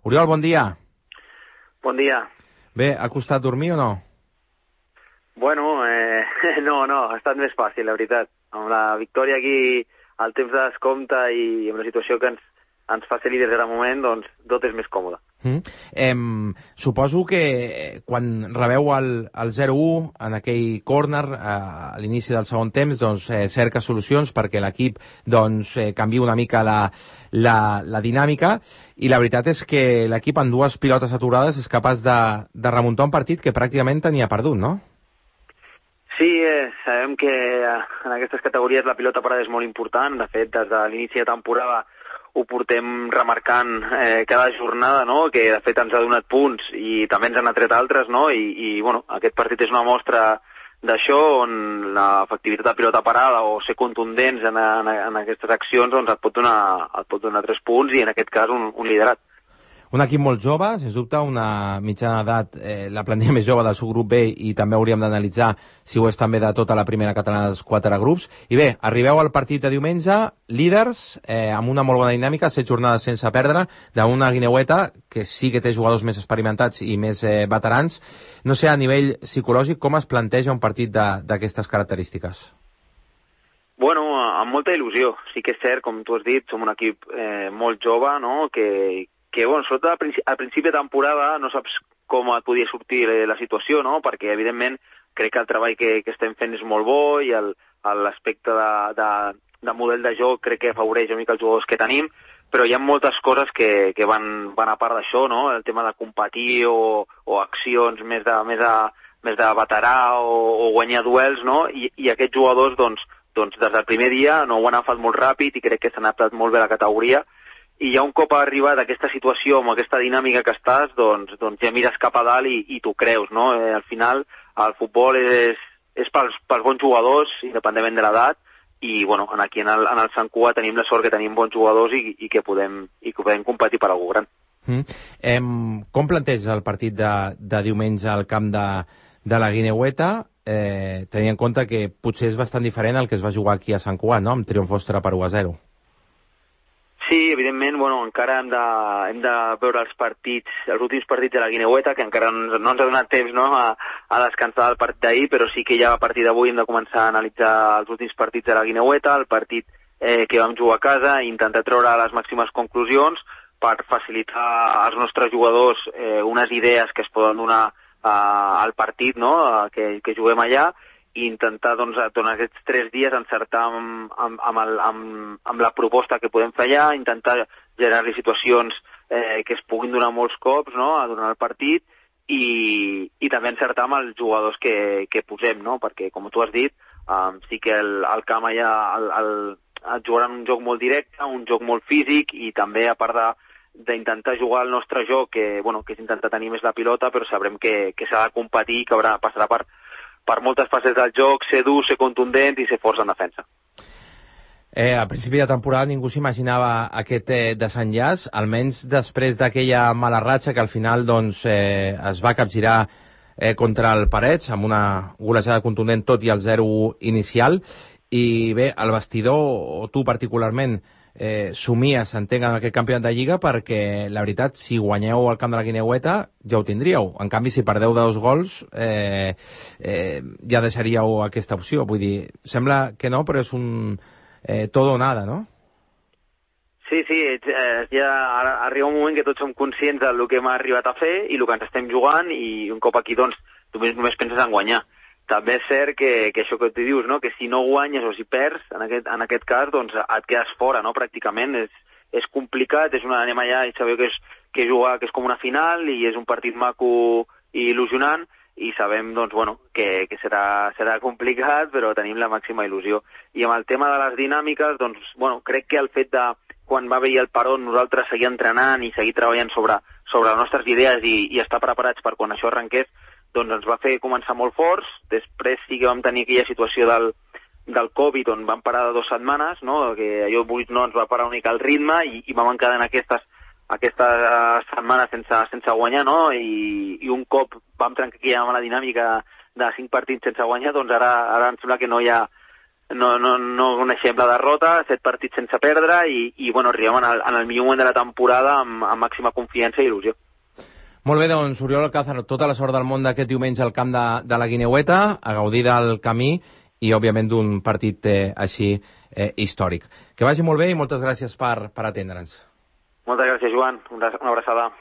Oriol, bon dia. Bon dia. Bé, ha costat dormir o no? Bueno, no, ha estat més fàcil, la veritat. Amb la victòria aquí, al temps de descompte i amb la situació que ens fa ser líders ara moment, doncs tot és més còmode. Suposo que quan rebeu el 0-1 en aquell córner a l'inici del segon temps, doncs cerca solucions perquè l'equip canvia una mica la dinàmica, i la veritat és que l'equip en dues pilotes aturades és capaç de remuntar un partit que pràcticament tenia perdut, no? Sí, sabem que en aquestes categories la pilota parada és molt important. De fet, des de l'inici de temporada ho portem remarcant cada jornada, no? Que de fet ens ha donat punts i també ens han atret altres, no? I bueno, aquest partit és una mostra d'això, on l'efectivitat de pilota parada o ser contundents en aquestes accions doncs et pot donar 3 punts i en aquest cas un liderat. Un equip molt jove, sens dubte, una mitjana d'edat, la plantilla més jove del seu grup B, i també hauríem d'analitzar si ho és també de tota la primera catalana dels 4 grups. I bé, arribeu al partit de diumenge, líders, amb una molt bona dinàmica, 7 jornades sense perdre, d'una Guineueta que sí que té jugadors més experimentats i més veterans. No sé, a nivell psicològic, com es planteja un partit d'aquestes característiques? Bueno, amb molta il·lusió. Sí que és cert, com tu has dit, som un equip molt jove, no? Que bueno, sobretot al principi de temporada no saps com et podia sortir la situació, no? Perquè, evidentment, crec que el treball que estem fent és molt bo i l'aspecte de model de joc crec que afavoreix una mica els jugadors que tenim, però hi ha moltes coses que van a part d'això, no? El tema de competir o accions més de veterà o guanyar duels, no? I aquests jugadors, doncs, des del primer dia no ho han agafat molt ràpid i crec que s'han adaptat molt bé a la categoria. I ja un cop ha arribat a aquesta situació, amb aquesta dinàmica que estàs, doncs ja mires cap a dalt i t'ho creus, no? Al final, el futbol és pels bons jugadors, independentment de l'edat, i bueno, aquí en el Sant Cugat tenim la sort que tenim bons jugadors i que podem competir per algú gran. Com planteja el partit de diumenge al camp de la Guineueta, tenint en compte que potser és bastant diferent al que es va jugar aquí a Sant Cugat, no? Amb triomf vostre per 1-0. Sí, evidentment, bueno, encara hem de veure els últims partits de la Guineueta, que encara no ens ha donat temps, no, a descansar del partit d'ahir, però sí que ja a partir d'avui hem de començar a analitzar els últims partits de la Guineueta, el partit que vam jugar a casa, i intentar treure les màximes conclusions per facilitar als nostres jugadors unes idees que es poden donar al partit, no, que juguem allà, i intentar, doncs, durant aquests 3 dies encertar amb la proposta que podem fer allà, intentar generar-li situacions que es puguin donar molts cops, no?, durant el partit, i també encertar amb els jugadors que posem, no?, perquè, com tu has dit, sí que el camp allà et jugaran un joc molt directe, un joc molt físic, i també, a part d'intentar jugar el nostre joc, que és intentar tenir més la pilota, però sabrem que s'ha de competir i que passarà per moltes fases del joc, ser dur, ser contundent i ser forts en defensa. A principi de temporada ningú s'imaginava aquest desenllaç, almenys després d'aquella mala ratxa que al final es va capgirar contra el Parets amb una golejada contundent, tot i el 0-1 inicial. I bé, el vestidor, o tu particularment, somies, entenc, en aquest campionat de Lliga, perquè la veritat, si guanyeu al camp de la Guineueta ja ho tindríeu. En canvi, si perdeu de 2 gols ja deixaríeu aquesta opció. Vull dir, sembla que no, però és un todo o nada, no? Sí, ja arriba un moment que tots som conscients del que hem arribat a fer i el que ens estem jugant, i un cop aquí, doncs, tu només penses en guanyar. També és cert que això que tu dius, no?, que si no guanyes o si perds, en aquest cas, doncs et quedes fora, no?, pràcticament. És complicat, anem allà i sabeu que és com una final i és un partit maco i il·lusionant, i sabem, doncs, bueno, que serà complicat, però tenim la màxima il·lusió. I amb el tema de les dinàmiques, doncs, bueno, crec que el fet de, quan va haver el peron, nosaltres seguir entrenant i seguir treballant sobre les nostres idees i estar preparats per quan això arrenqués, doncs ens va fer començar molt forts. Després sí que vam tenir aquella situació del Covid, on vam parar de 2 setmanes, no?, que allò no ens va parar una mica el ritme, i vam quedar en aquestes setmanes sense guanyar, no?, i un cop vam trencar aquella mala dinàmica de 5 partits sense guanyar, doncs ara em sembla que no hi ha no coneixem la derrota, 7 partits sense perdre i bueno, arribem en el millor moment de la temporada amb màxima confiança i il·lusió. Molt bé, doncs, Oriol Alcázar, tota la sort del món d'aquest diumenge al camp de la Guineueta, a gaudir del camí i, òbviament, d'un partit així històric. Que vagi molt bé i moltes gràcies per atendre'ns. Moltes gràcies, Joan. Una abraçada.